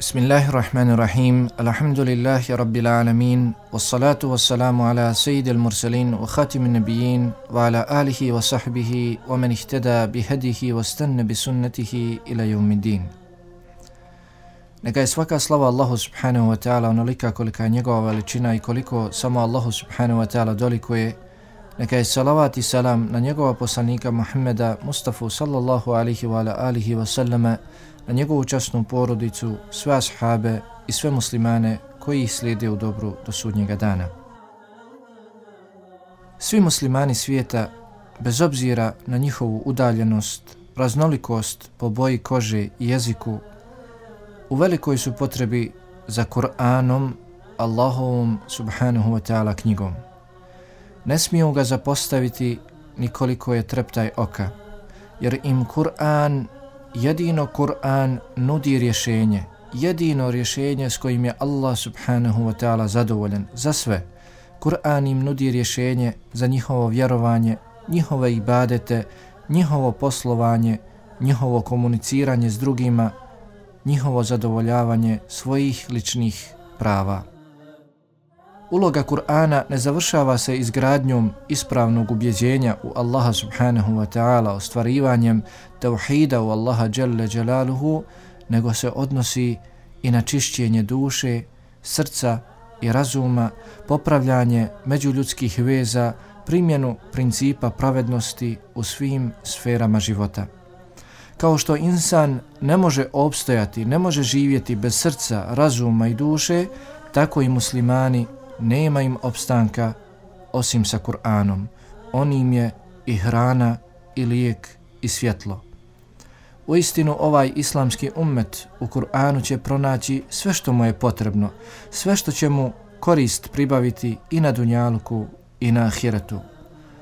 Bismillahirrahmanirrahim. Alhamdulillahi rabbil alamin. Wassalatu wassalamu ala sayyidil mursalin wa khatimin nabiyyin wa ala alihi wa sahbihi wa man ihtada bihadihi wa stanna bi sunnatihi ila yawmiddin. Neka je svaka slava Allahu subhanahu wa ta'ala onolika kolika je njegova veličina i koliko samo Allahu subhanahu wa ta'ala dolikuje. Neka je salavat i salam na njegova poslanika Muhammeda Mustafa sallallahu alihi wa alihi wa sallama, na njegovu časnu porodicu, sve ashabe i sve muslimane koji ih slijede u dobru do sudnjega dana. Svi muslimani svijeta, bez obzira na njihovu udaljenost, raznolikost po boji kože i jeziku, u velikoj su potrebi za Kur'anom, Allahovom subhanahu wa ta'ala knjigom. Ne smiju ga zapostaviti nikoliko je treptaj oka, jer im jedino Kur'an nudi rješenje, jedino rješenje s kojim je Allah subhanahu wa ta'ala zadovoljan za sve. Kur'an im nudi rješenje za njihovo vjerovanje, njihove ibadete, njihovo poslovanje, njihovo komuniciranje s drugima, njihovo zadovoljavanje svojih ličnih prava. Uloga Kur'ana ne završava se izgradnjom ispravnog ubjeđenja u Allaha subhanahu wa ta'ala, ostvarivanjem tauhida u Allaha dželle dželaluhu, nego se odnosi i na čišćenje duše, srca i razuma, popravljanje međuljudskih veza, primjenu principa pravednosti u svim sferama života. Kao što insan ne može opstojati, ne može živjeti bez srca, razuma i duše, tako i muslimani nema im opstanka osim sa Kur'anom. On im je i hrana, i lijek, i svjetlo. Uistinu ovaj islamski ummet u Kur'anu će pronaći sve što mu je potrebno, sve što će mu korist pribaviti i na dunjaluku i na ahiretu.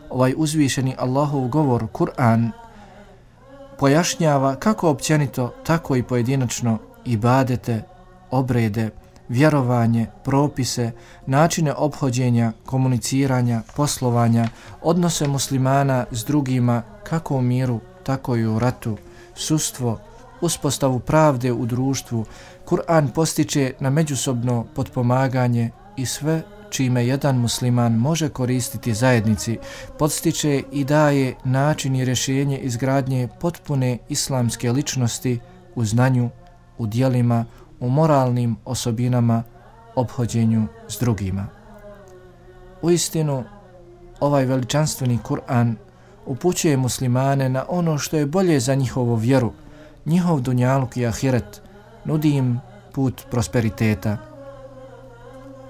Ovaj uzvišeni Allahov govor, Kur'an, pojašnjava kako općenito, tako i pojedinačno ibadete, obrede, vjerovanje, propise, načine ophođenja, komuniciranja, poslovanja, odnose muslimana s drugima kako u miru, tako i u ratu, sudstvo, uspostavu pravde u društvu. Kur'an postiče na međusobno potpomaganje i sve čime jedan musliman može koristiti zajednici, podstiče i daje način i rješenje izgradnje potpune islamske ličnosti u znanju, u djelima, u moralnim osobinama, ophođenju s drugima. Uistinu, ovaj veličanstveni Kur'an upućuje muslimane na ono što je bolje za njihovu vjeru, njihov dunjaluk i ahiret, nudi im put prosperiteta.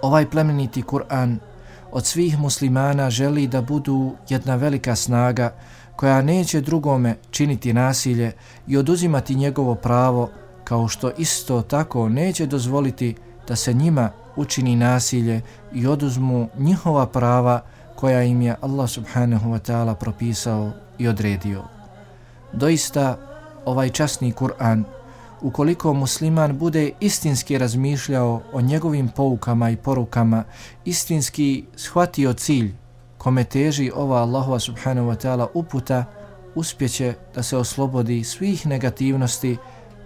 Ovaj plemeniti Kur'an od svih muslimana želi da budu jedna velika snaga koja neće drugome činiti nasilje i oduzimati njegovo pravo, kao što isto tako neće dozvoliti da se njima učini nasilje i oduzmu njihova prava koja im je Allah subhanahu wa ta'ala propisao i odredio. Doista, ovaj časni Kur'an, ukoliko musliman bude istinski razmišljao o njegovim poukama i porukama, istinski shvatio cilj kome teži ova Allahova subhanahu wa ta'ala uputa, uspjeće da se oslobodi svih negativnosti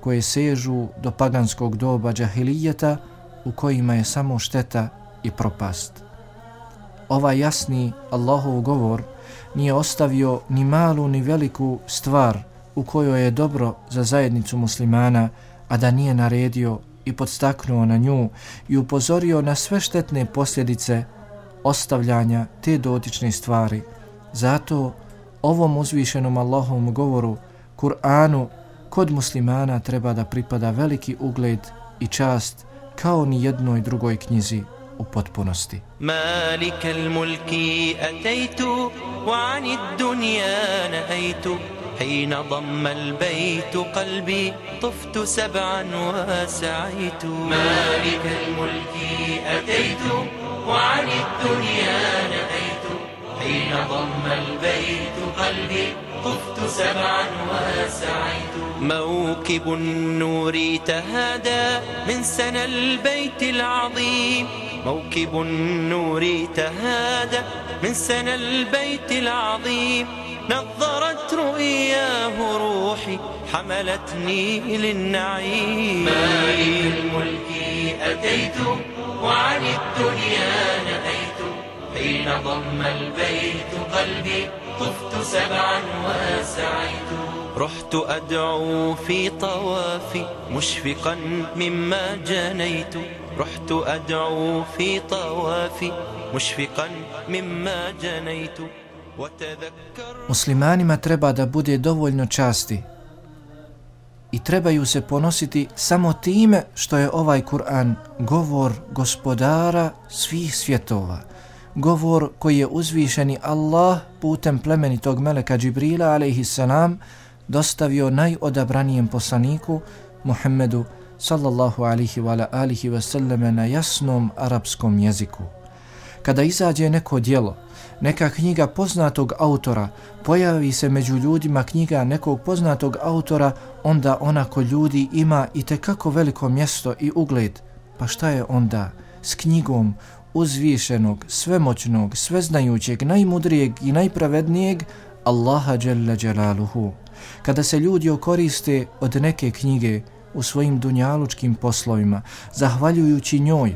koje sežu do paganskog doba džahilijeta u kojima je samo šteta i propast. Ovaj jasni Allahov govor nije ostavio ni malu ni veliku stvar u kojoj je dobro za zajednicu muslimana, a da nije naredio i podstaknuo na nju i upozorio na sve štetne posljedice ostavljanja te dotične stvari. Zato ovom uzvišenom Allahovom govoru, Kur'anu, kod muslimana treba da pripada veliki ugled i čast kao ni jednoj drugoj knjizi u potpunosti. Malikal mulki ataitu wa anid dunya nahaitu حين ضم البيت قلبي طفت سبعا وسعيت مالك الملك أتيت وعن الدنيا نهيت حين ضم البيت قلبي طفت سبعا وسعيت موكب النور تهادى من سنى البيت العظيم موكب النور تهادى من سنى البيت العظيم نظرت رؤياه روحي حملتني للنعيم مالك الملك أتيت وعن الدنيا نأيت حين ضم البيت قلبي طفت سبعا وسعيت رحت أدعو في طوافي مشفقا مما جنيت رحت أدعو في طوافي مشفقا مما جنيت Muslimanima treba da bude dovoljno časti i trebaju se ponositi samo time što je ovaj Kur'an govor gospodara svih svjetova, govor koji je uzvišeni Allah putem plemenitog meleka Džibrila alejhissalam dostavio najodabranijem poslaniku Muhammedu sallallahu alihi wa alihi wa sallame na jasnom arapskom jeziku. Kada izađe neko djelo, neka knjiga poznatog autora, pojavi se među ljudima knjiga nekog poznatog autora, onda ona kod ljudi ima itekako veliko mjesto i ugled. Pa šta je onda s knjigom uzvišenog, svemoćnog, sveznajućeg, najmudrijeg i najpravednijeg Allaha dželle dželaluhu? Kada se ljudi okoriste od neke knjige u svojim dunjalučkim poslovima, zahvaljujući njoj,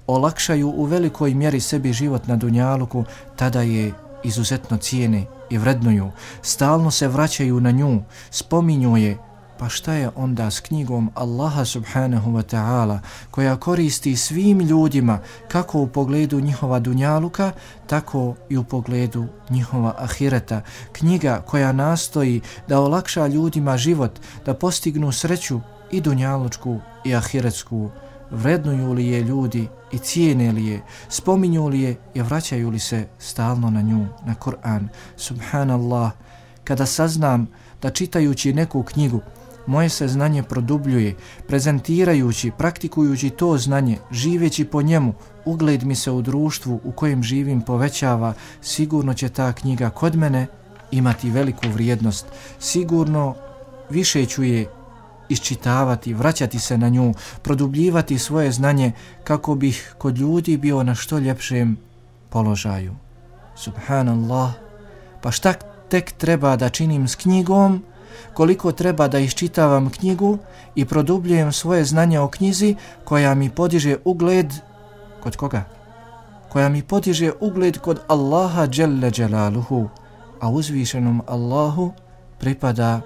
olakšaju u velikoj mjeri sebi život na dunjaluku, tada je izuzetno cijene i vrednuju, stalno se vraćaju na nju, spominju je. Pa šta je onda s knjigom Allaha subhanahu wa ta'ala koja koristi svim ljudima kako u pogledu njihova dunjaluka, tako i u pogledu njihova ahireta, knjiga koja nastoji da olakša ljudima život, da postignu sreću i dunjalučku i ahiretsku. Vrednuju li je ljudi i cijene li je, spominju li je i vraćaju li se stalno na nju, na Kur'an. Subhanallah, kada saznam da čitajući neku knjigu moje se znanje produbljuje, prezentirajući, praktikujući to znanje, živeći po njemu, ugled mi se u društvu u kojem živim povećava, sigurno će ta knjiga kod mene imati veliku vrijednost. Sigurno više ću je iščitavati, vraćati se na nju, produbljivati svoje znanje kako bih kod ljudi bio na što ljepšem položaju. Subhanallah, pa šta tek treba da činim s knjigom, koliko treba da iščitavam knjigu i produbljujem svoje znanje o knjizi koja mi podiže ugled kod koga? Koja mi podiže ugled kod Allaha dželle dželaluhu, a uzvišenom Allahu pripada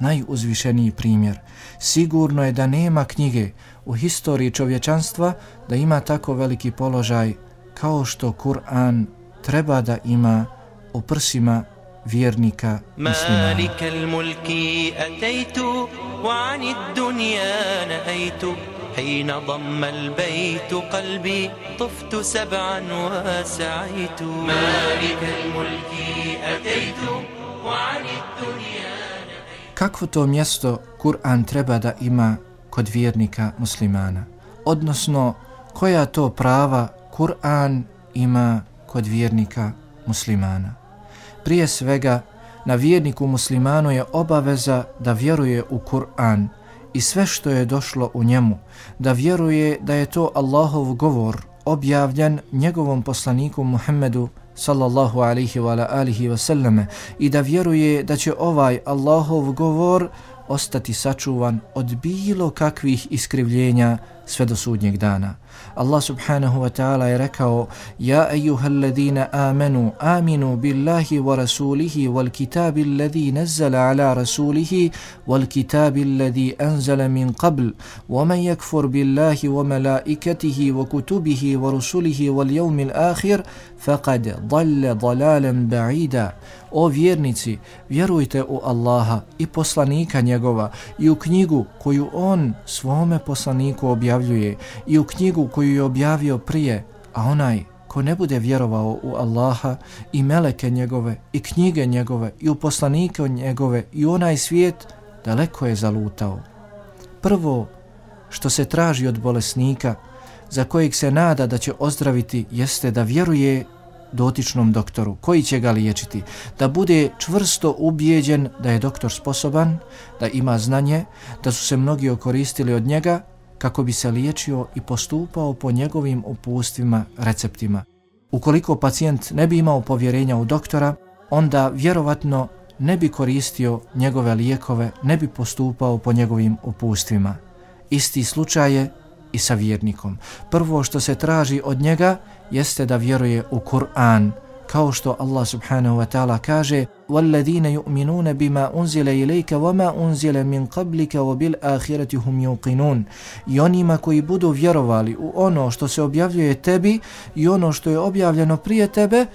najuzvišeniji primjer. Sigurno je da nema knjige u historiji čovječanstva da ima tako veliki položaj kao što Kur'an treba da ima u prsima vjernika muslimana. Malikal mulki ataitu wa anid dunya naaitu حين ضم البيت قلبي طفت سبعا وسعيت مالك الملك أتيت وعن الدنيا. Kakvo to mjesto Kur'an treba da ima kod vjernika muslimana? Odnosno, koja to prava Kur'an ima kod vjernika muslimana? Prije svega, na vjerniku muslimanu je obaveza da vjeruje u Kur'an i sve što je došlo u njemu, da vjeruje da je to Allahov govor objavljen njegovom poslaniku Muhammedu sallallahu alihi wa alihi wa sallame i da vjeruje da će ovaj Allahov govor ostati sačuvan od bilo kakvih iskrivljenja sve do sudnjeg dana. Allah subhanahu wa ta'ala je rekao: Ja ejuhalladina amenu, aminu billahi wa rasulihi wal kitabi alladhi nazzala ala rasulihi wal kitabi alladhi anzala min qabl wa man yakfur billahi wa malaikatihi wa kutubihi wa rusulihi wal yawmil akhir faqad dalla dalalan ba'ida. O vjernici, vjerujte u Allaha i poslanika njegova i u knjigu koju on svome poslaniku objavljuje i u knjigu koju je objavio prije, a onaj ko ne bude vjerovao u Allaha i meleke njegove i knjige njegove i u poslanike njegove i u onaj svijet, daleko je zalutao. Prvo što se traži od bolesnika za kojeg se nada da će ozdraviti jeste da vjeruje dotičnom doktoru koji će ga liječiti, da bude čvrsto ubijeđen da je doktor sposoban, da ima znanje, da su se mnogi okoristili od njega kako bi se liječio i postupao po njegovim uputstvima, receptima. Ukoliko pacijent ne bi imao povjerenja u doktora, onda vjerovatno ne bi koristio njegove lijekove, ne bi postupao po njegovim uputstvima. Isti slučaj je i sa vjernikom. Prvo što se traži od njega jeste da vjeruje u Kur'an, kao što Allah subhanahu wa ta'ala kaže وَالَّذِينَ يُؤْمِنُونَ بِمَا أُنْزِلَ إِلَيْكَ وَمَا أُنْزِلَ مِنْ قَبْلِكَ وَبِالْآخِرَةِ هُمْ يُوقِنُونَ. I onima koji budu vjerovali u ono što se objavljuje tebi i ono što je objavljeno prije tebe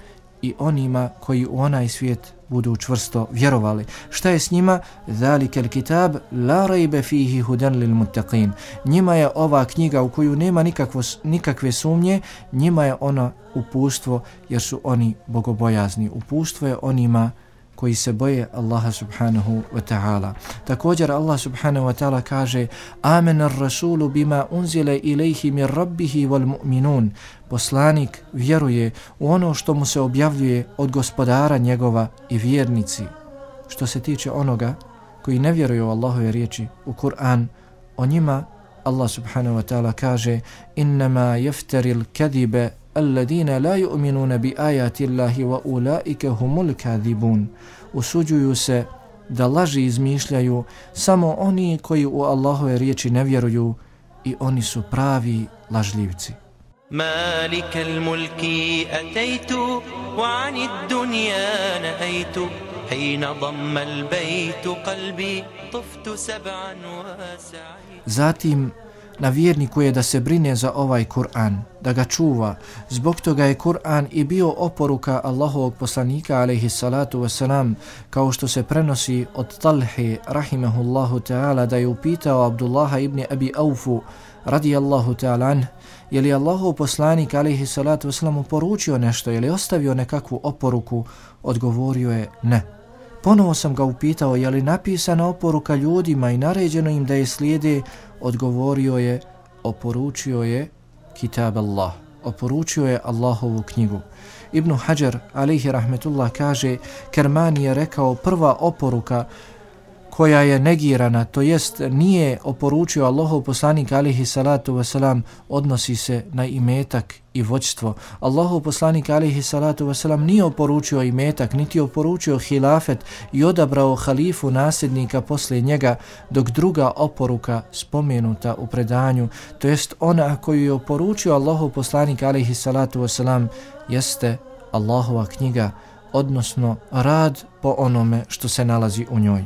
i onima koji u onaj svijet budu čvrsto vjerovali. Šta je s njima? ذَلِكَ الْكِتَابِ لَا رَيْبَ فِيهِ هُدًى لِلْمُتَّقِينَ. Njima je ova knjiga u koju nema nikakve sumnje, njima je ona uputstvo jer su oni bogobojazni. Uputstvo je onima koji se boje Allaha subhanahu wa ta'ala. Također Allah subhanahu wa ta'ala kaže Amena rasulu bima unzile ilaihi mir rabbihi wal mu'minun. Poslanik vjeruje u ono što mu se objavljuje od gospodara njegova i vjernici. Što se tiče onoga koji ne vjeruje u Allahove riječi, u Kur'an, o njima Allah subhanahu wa ta'ala kaže Innama jefteril kadibe alladine la yu'minuna bi ajati Allahi wa ulaike humul kadibun. Usuđuju se da laži izmišljaju samo oni koji u Allahove riječi ne vjeruju i oni su pravi lažljivci. مالك الملك أتيت وعن الدنيا نأيت حين ضم البيت قلبي طفت سبعا وسعيت. Zatim na vjerniku je da se brine za ovaj Kur'an, da ga čuva. Zbog toga je Kur'an i bio oporuka Allahovog poslanika alejhi salatu vesselam, kao što se prenosi od Talhe rahimehullahu ta'ala da je upitao Abdullaha ibn Abi Aufu radijallahu ta'ala anh, je li Allahov poslanik alejhi salatu vesselam poručio nešto, je li ostavio nekakvu oporuku? Odgovorio je ne. Ponovo sam ga upitao je li napisana oporuka ljudima i naređeno im da je slijede. Odgovorio je, oporučio je Kitab Allah, oporučio je Allahovu knjigu. Ibn Hajar alejhi rahmetullah kaže, Kermani je rekao prva oporuka koja je negirana, to jest nije oporučio Allahov poslanik alejhi salatu vesselam, odnosi se na imetak i vođstvo. Allahov poslanik alejhi salatu vesselam nije oporučio imetak, niti oporučio hilafet i odabrao halifu nasljednika poslije njega, dok druga oporuka spomenuta u predanju, to jest ona koju je oporučio Allahov poslanik alejhi salatu vesselam, jeste Allahova knjiga, odnosno rad po onome što se nalazi u njoj.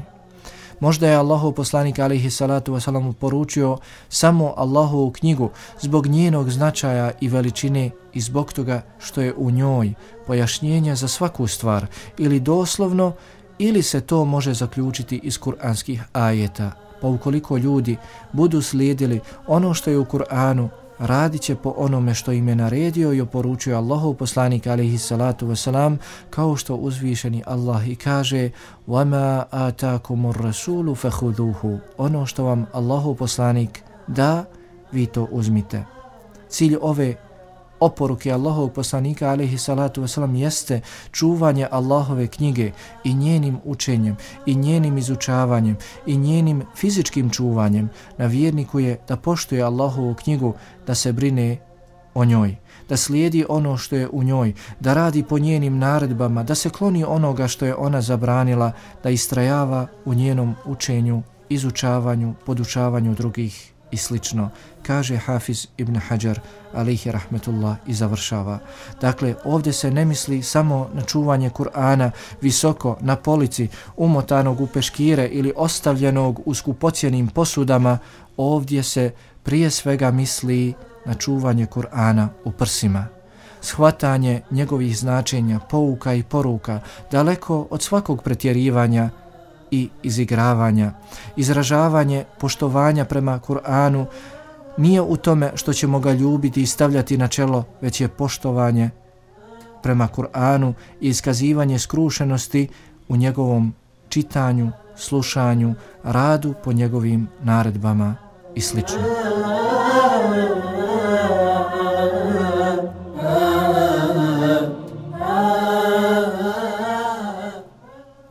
Možda je Allahov poslanik alejhi salatu vesselam poručio samo Allahovu knjigu zbog njenog značaja i veličine i zbog toga što je u njoj pojašnjenje za svaku stvar, ili doslovno ili se to može zaključiti iz kuranskih ajeta. Pa ukoliko ljudi budu slijedili ono što je u Kur'anu, radit će po onome što im je naredio i oporučio Allahov poslanik alejhi salatu vesselam, kao što uzvišeni Allah i kaže وَمَا آتَاكُمُ الرَّسُولُ فَخُذُوهُ. Ono što vam Allahov poslanik da, vi to uzmite. Cilj ove oporuke Allahovog poslanika alejhi salatu vesselam jeste čuvanje Allahove knjige i njenim učenjem i njenim izučavanjem i njenim fizičkim čuvanjem. Na vjerniku je da poštuje Allahovu knjigu, da se brine o njoj, da slijedi ono što je u njoj, da radi po njenim naredbama, da se kloni onoga što je ona zabranila, da istrajava u njenom učenju, izučavanju, podučavanju drugih i slično, kaže Hafiz ibn Hajar alejhi rahmetullah i završava. Dakle, ovdje se ne misli samo na čuvanje Kur'ana visoko na polici, umotanog u peškire ili ostavljenog u skupocjenim posudama. Ovdje se prije svega misli na čuvanje Kur'ana u prsima. Shvatanje njegovih značenja, pouka i poruka, daleko od svakog pretjerivanja i izigravanja. Izražavanje poštovanja prema Kur'anu nije u tome što ćemo ga ljubiti i stavljati na čelo, već je poštovanje prema Kur'anu i iskazivanje skrušenosti u njegovom čitanju, slušanju, radu po njegovim naredbama i slično.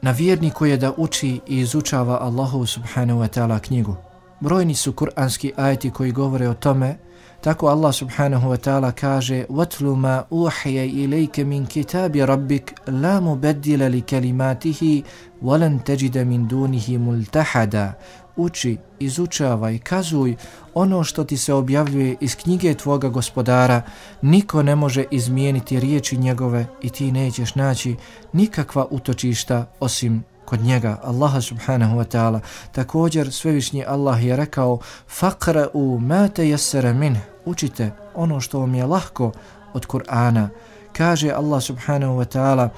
Na vjerniku je da uči i izučava Allahu subhanahu wa ta'ala knjigu, Brojni su kuranski ajeti koji govore o tome. Tako Allah subhanahu wa ta'ala kaže وَاتْلُ مَا أُوحِيَ إِلَيْكَ مِنْ كِتَابِ رَبِّكَ لَا مُبَدِّلَ لِكَلِمَاتِهِ وَلَنْ تَجِدَ مِنْ دُونِهِ مُلْتَحَدًا. Uči, izučavaj, kazuj ono što ti se objavljuje iz knjige tvoga gospodara. Niko ne može izmijeniti riječi njegove i ti nećeš naći nikakva utočišta osim kod njega, Allaha subhanahu wa ta'ala. Također svevišnji Allah je rekao فَقْرَأُوا مَا تَيَسَّرَ مِنْهِ. Učite ono što vam je lahko od Kur'ana. Kaže Allah subhanahu wa ta'ala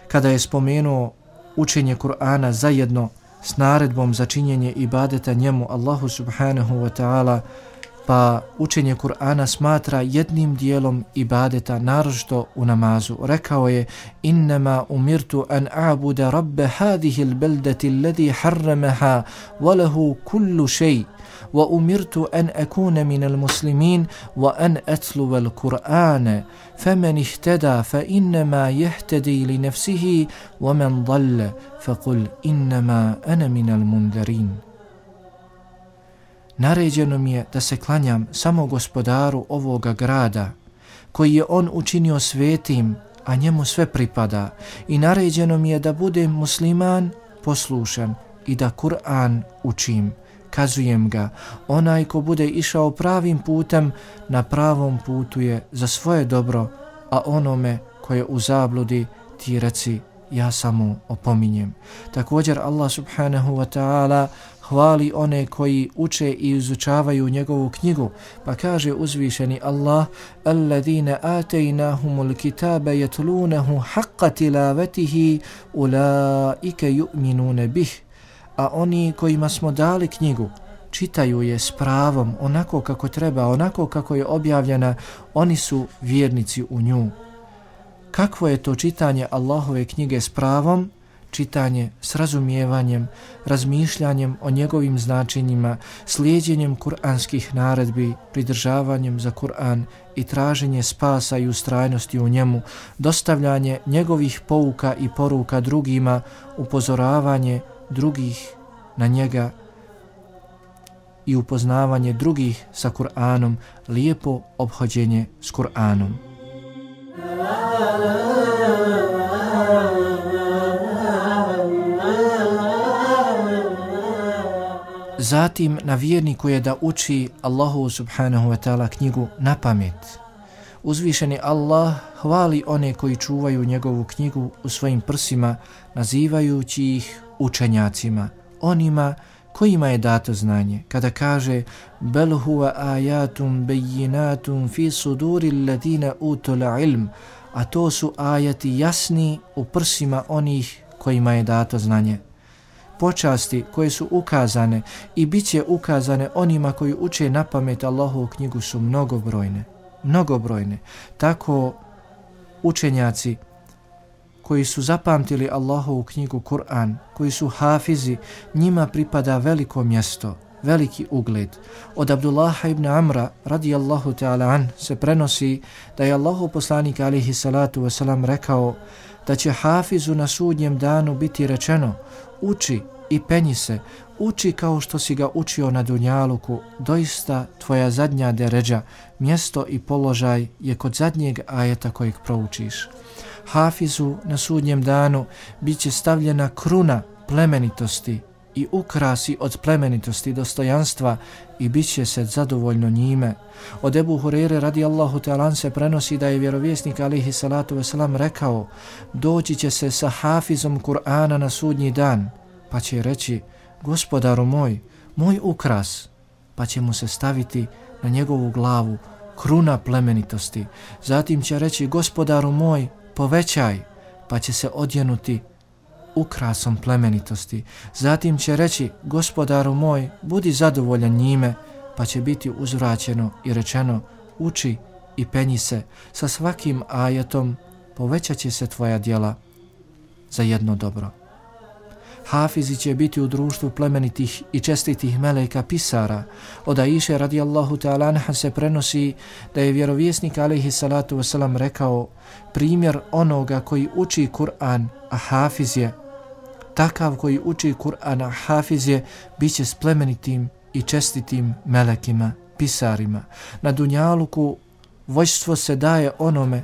kada je spomenuo učenje Kur'ana zajedno s naredbom za činjenje ibadeta njemu Allahu subhanahu wa ta'ala, pa učenje Kur'ana smatra jednim dijelom ibadeta, naročito u namazu. Rekao je innama umirtu an a'buda rabbe hadihi l-beldati alladhi harramaha wa lahu kullu shay wa umirtu an akuna min al-muslimin wa an atluwa al-Qur'ana faman ihtada fa innama yahtadi li nafsihi wa man dhalla faqul innama ana min al-mundarin. Naređeno mi je da se klanjam samo gospodaru ovoga grada, koji je on učinio svetim, a njemu sve pripada. I naređeno mi je da budem musliman, poslušan i da Kur'an učim, kazujem ga. Onaj ko bude išao pravim putem, na pravom putu je za svoje dobro, a onome ko je u zabludi ti reci ja samo opominjem. Također Allah subhanahu wa ta'ala hvali one koji uče i izučavaju njegovu knjigu, pa kaže uzvišeni Allah alladhina ataynahumul kitaba yatlunahu haqqa tilawatihi ulaika yu'minuna bih. A oni kojima smo dali knjigu čitaju je s pravom, onako kako treba, onako kako je objavljena, oni su vjernici u nju. Kakvo je to čitanje Allahove knjige s pravom? Čitanje s razumijevanjem, razmišljanjem o njegovim značenjima, slijedjenjem kuranskih naredbi, pridržavanjem za Kur'an i traženje spasa i ustrajnosti u njemu, dostavljanje njegovih pouka i poruka drugima, upozoravanje drugih na njega i upoznavanje drugih sa Kur'anom, lijepo ophođenje s Kur'anom. Zatim na vjerniku je da uči Allahu subhanahu wa ta'ala knjigu na pamet. Uzvišeni Allah hvali one koji čuvaju njegovu knjigu u svojim prsima, nazivajući ih učenjacima, onima kojima je dato znanje. Kada kaže bel huwa ayatum bayyinatun fi suduri alladhina utul ilm, a to su ajati jasni u prsima onih kojima je dato znanje. Počasti koje su ukazane i bit će ukazane onima koji uče na pamet Allahovu knjigu su mnogobrojne. Tako učenjaci koji su zapamtili Allahovu knjigu Kur'an, koji su hafizi, njima pripada veliko mjesto, veliki ugled. Od Abdullaha ibn Amra radijallahu ta'ala an se prenosi da je Allahov poslanik alejhi salatu vesselam rekao da će hafizu na sudnjem danu biti rečeno uči i penji se, uči kao što si ga učio na dunjaluku, doista tvoja zadnja deređa, mjesto i položaj je kod zadnjeg ajeta kojeg proučiš. Hafizu na sudnjem danu bit će stavljena kruna plemenitosti i ukrasi od plemenitosti dostojanstva i bit će se zadovoljno njime. Od Ebu Hurere radijallahu ta'ala se prenosi da je vjerovjesnik alejhi salatu vesselam rekao doći će se sa hafizom Kur'ana na sudnji dan, pa će reći gospodaru moj ukras, pa će mu se staviti na njegovu glavu kruna plemenitosti. Zatim će reći gospodaru moj povećaj, pa će se odjenuti ukrasom plemenitosti. Zatim će reći gospodaru moj budi zadovoljan njime, pa će biti uzvraćeno i rečeno uči i penji se, sa svakim ajetom povećat će se tvoja djela za jedno dobro. Hafizi će biti u društvu plemenitih i čestitih meleka pisara. Od Aiše radijallahu ta'ala anha se prenosi da je vjerovjesnik alejhi salatu vesselam rekao primjer onoga koji uči Kur'an, a hafiz je takav koji uči Kur'an, a hafiz je bit će s plemenitim i čestitim melekima, pisarima. Na dunjaluku vođstvo se daje onome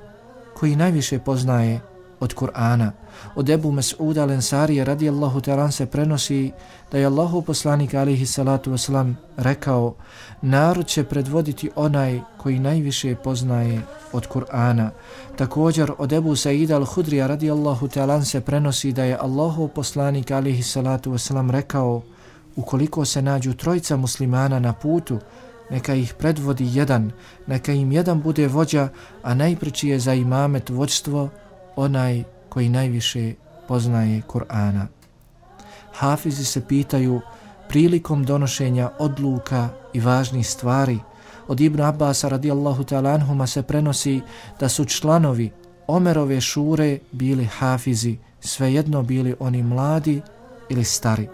koji najviše poznaje od Kur'ana. Od Ebu Mes'uda al-Ensarija radijallahu ta'ala se prenosi da je Allahov poslanik alejhi salatu vesselam rekao: narod će predvoditi onaj koji najviše poznaje od Kur'ana. Također od Ebu Saida al-Hudrija radijallahu ta'ala se prenosi da je Allahov poslanik alejhi salatu vesselam rekao: ukoliko se nađu trojica muslimana na putu, neka ih predvodi jedan, neka im jedan bude vođa, a najpreči je za imamet vođstvo onaj koji najviše poznaje Kur'ana. Hafizi se pitaju prilikom donošenja odluka i važnih stvari. Od Ibn Abbasa radijallahu ta'ala anhuma se prenosi da su članovi Omerove šure bili hafizi, svejedno bili oni mladi ili stari.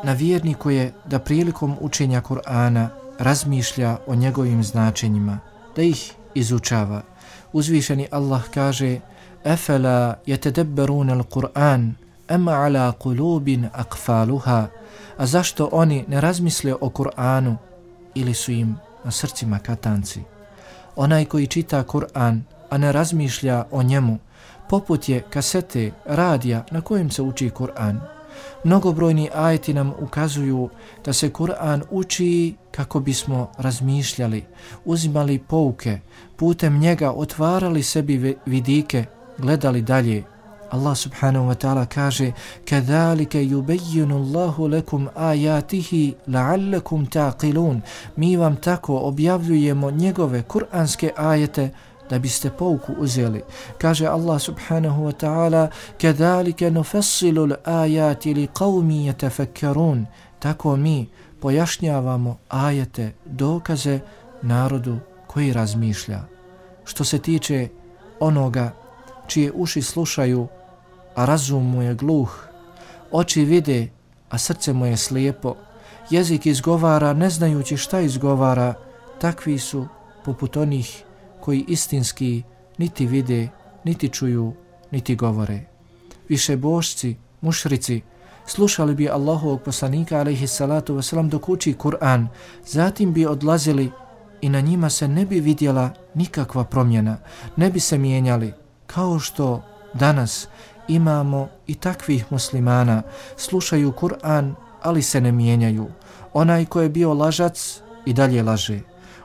Na vjerniku je da prilikom učenja Kur'ana razmišlja o njegovim značenjima, da ih izučava. Uzvišeni Allah kaže: Efela yetedebberuna al-Qur'an am ala qulubin aqfaluha. A zašto oni ne razmisle o Kur'anu ili su im na srcima katanci? Onaj koji čita Kur'an, a ne razmišlja o njemu, poput je kasete, radija na kojem se uči Kur'an. Mnogobrojni ajeti nam ukazuju da se Kur'an uči kako bismo razmišljali, uzimali pouke, putem njega otvarali sebi vidike, gledali dalje. Allah subhanahu wa ta'ala kaže: Kadhalika yubayyinu Allahu lakum ayatihi la'allakum taqilun. Mi vam tako objavljujemo njegove kuranske ajete da biste pouku uzeli. Kaže Allah subhanahu wa ta'ala: Kadhalika nufassilu al-ayati liqaumin yatafakkarun. Tako mi pojašnjavamo ajete, dokaze narodu koji razmišlja. Što se tiče onoga čije uši slušaju, a razum mu je gluh, oči vide, a srce mu je slijepo, jezik izgovara ne znajući šta izgovara, takvi su poput onih koji istinski niti vide, niti čuju, niti govore. Višebošci, mušrici, slušali bi Allahovog poslanika alejhi salatu vesselam dok uči Kur'an, zatim bi odlazili i na njima se ne bi vidjela nikakva promjena, ne bi se mijenjali, kao što danas imamo i takvih muslimana, slušaju Kur'an, ali se ne mijenjaju. Onaj ko je bio lažac i dalje laže,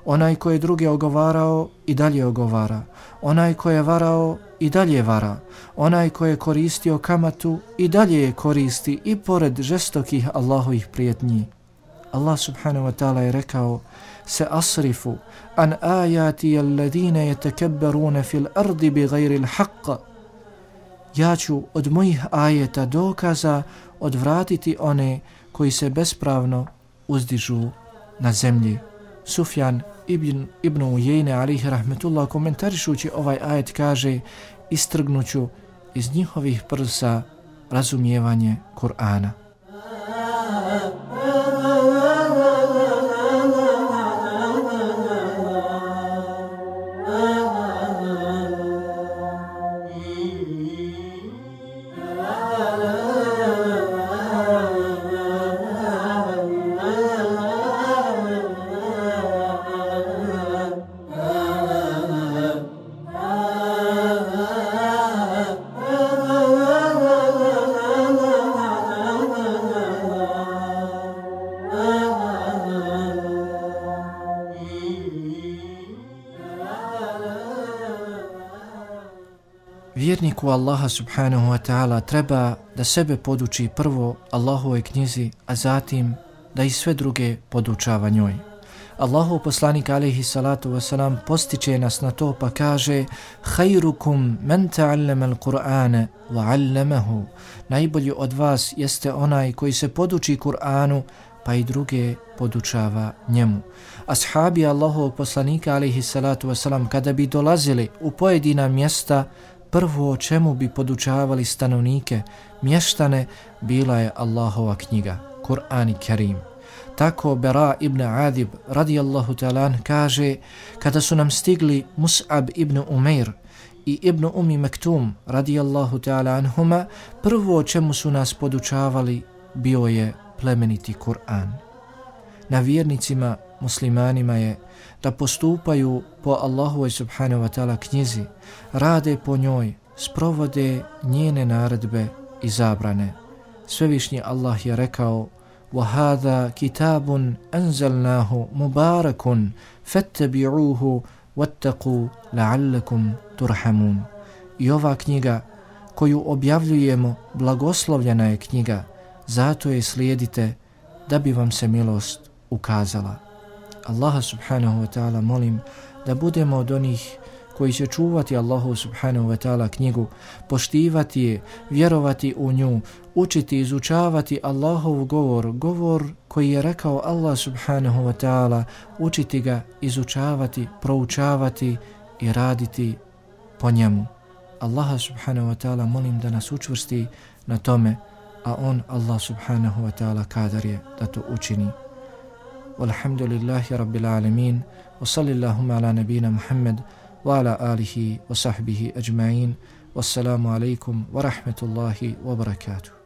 onaj ko je druge ogovarao i dalje ogovara, onaj ko je varao i dalje vara, onaj ko je koristio kamatu i dalje je koristi i pored žestokih Allahovih prijetnji. Allah subhanahu wa ta'ala je rekao: Se asrifu an ajati alladine yetekebberune fil ardi bi gajri l'haqqa. Ja ću od mojih ajeta dokaza odvratiti one koji se bespravno uzdižu na zemlji. Sufjan ibn Ujejne alejhi rahmetullah komentarišući ovaj ajet kaže: istrgnuću iz njihovih prsa razumijevanje Kur'ana. Vjerniku Allaha subhanahu wa ta'ala treba da sebe poduči prvo Allahovoj knjizi, a zatim da i sve druge podučava njoj. Allahov poslanik alejhi salatu wasalam postiče nas na to pa kaže: Khairukum man ta'allama al-Qur'ana wa 'allamahu. Najbolji od vas jeste onaj koji se poduči Kur'anu pa i druge podučava njemu. Ashabi Allahovog poslanika alejhi salatu wasalam kada bi dolazili u pojedina mjesta, prvo o čemu bi podučavali stanovnike, mještane, bila je Allahova knjiga, Kur'an i Kerim. Tako Bera ibn Adib radijallahu ta'ala kaže: kada su nam stigli Mus'ab ibn Umair i Ibn Umi Mektum radijallahu ta'ala anhuma, prvo o čemu su nas podučavali bio je plemeniti Kur'an. Na vjernicima, muslimanima je da postupaju po Allahovoj subhanahu wa ta'ala knjizi, rade po njoj, sprovode njene naredbe i zabrane. Svevišnji Allah je rekao: وَهَذَا كِتَابٌ أَنزَلْنَاهُ مُبَارَكٌ فَاتَّبِعُوهُ وَاتَّقُوا لَعَلَّكُمْ تُرْحَمُونَ. I ova knjiga koju objavljujemo, blagoslovljena je knjiga, zato je slijedite da bi vam se milost ukazala. Allaha subhanahu wa ta'ala molim da budemo od onih koji će čuvati Allahu subhanahu wa ta'ala knjigu, poštivati je, vjerovati u nju, učiti, izučavati Allahov govor koji je rekao Allah subhanahu wa ta'ala, učiti ga, izučavati, proučavati i raditi po njemu. Allaha subhanahu wa ta'ala molim da nas učvrsti na tome, a on, Allah subhanahu wa ta'ala, kadar je da to učini. Walhamdulillahi rabbil alamin, wa sallillahumma ala nabina Muhammad wa ala alihi wa sahbihi ajma'in. Wassalamu alaikum wa rahmatullahi wa barakatuh.